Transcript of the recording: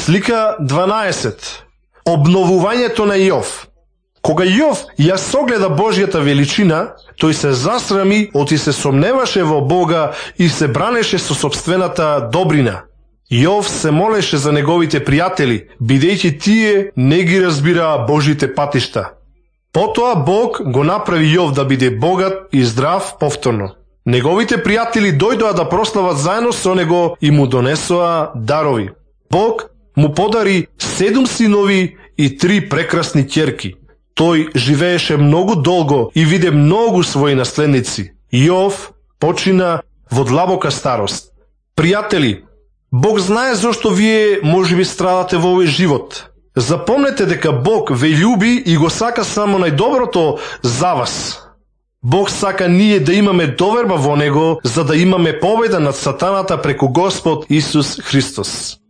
Слика 12. Обновувањето на Јов. Кога Јов ја согледа Божјата величина, тој се засрами, оти се сомневаше во Бога и се бранеше со сопствената добрина. Јов се молеше за неговите пријатели, бидејќи тие не ги разбираа Божите патишта. Потоа Бог го направи Јов да биде богат и здрав повторно. Неговите пријатели дојдоа да прослават заедно со него и му донесоа дарови. Бог му подари 7 синови и 3 прекрасни ќерки. Тој живееше многу долго и виде многу своји наследници. Јов почина во длабока старост. Пријатели, Бог знае зошто вие можеби страдате во овој живот. Запомнете дека Бог ве љуби и го сака само најдоброто за вас. Бог сака ние да имаме доверба во Него, за да имаме победа над сатаната преку Господ Исус Христос.